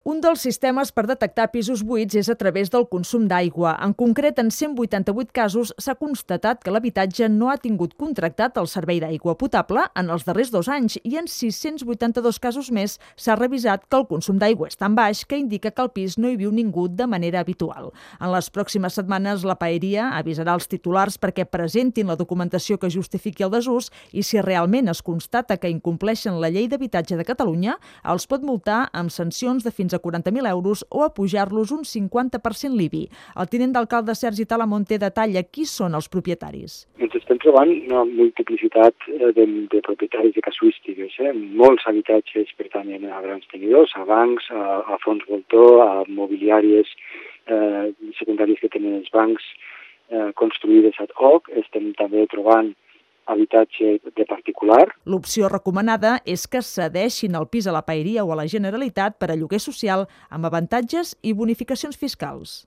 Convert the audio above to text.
Un dels sistemes per detectar pisos buits és a través del consum d'aigua. En concret, en 188 casos s'ha constatat que l'habitatge no ha tingut contractat el servei d'aigua potable en els darrers 2 anys i en 682 casos més s'ha revisat que el consum d'aigua és tan baix que indica que al pis no hi viu ningú de manera habitual. En les pròximes setmanes, la Paeria avisarà els titulars perquè presentin la documentació que justifiqui el desús i si realment es constata que incompleixen la Llei d'Habitatge de Catalunya, els pot multar amb sancions de fins a 40.000 euros o a pujar-los un 50% l'IBI. El tinent d'alcalde Sergi Talamonte detalla qui són els propietaris. Ens estem trobant una multiplicitat de propietaris de casuístiques. Molts habitatges pertanyen a grans tenidors, a bancs, a fons voltor, a mobiliàries secundaris que tenen els bancs construïdes ad hoc. Estem també trobant habitatge de particular. L'opció recomanada és que cedeixin el pis a la Paeria o a la Generalitat per a lloguer social amb avantatges i bonificacions fiscals.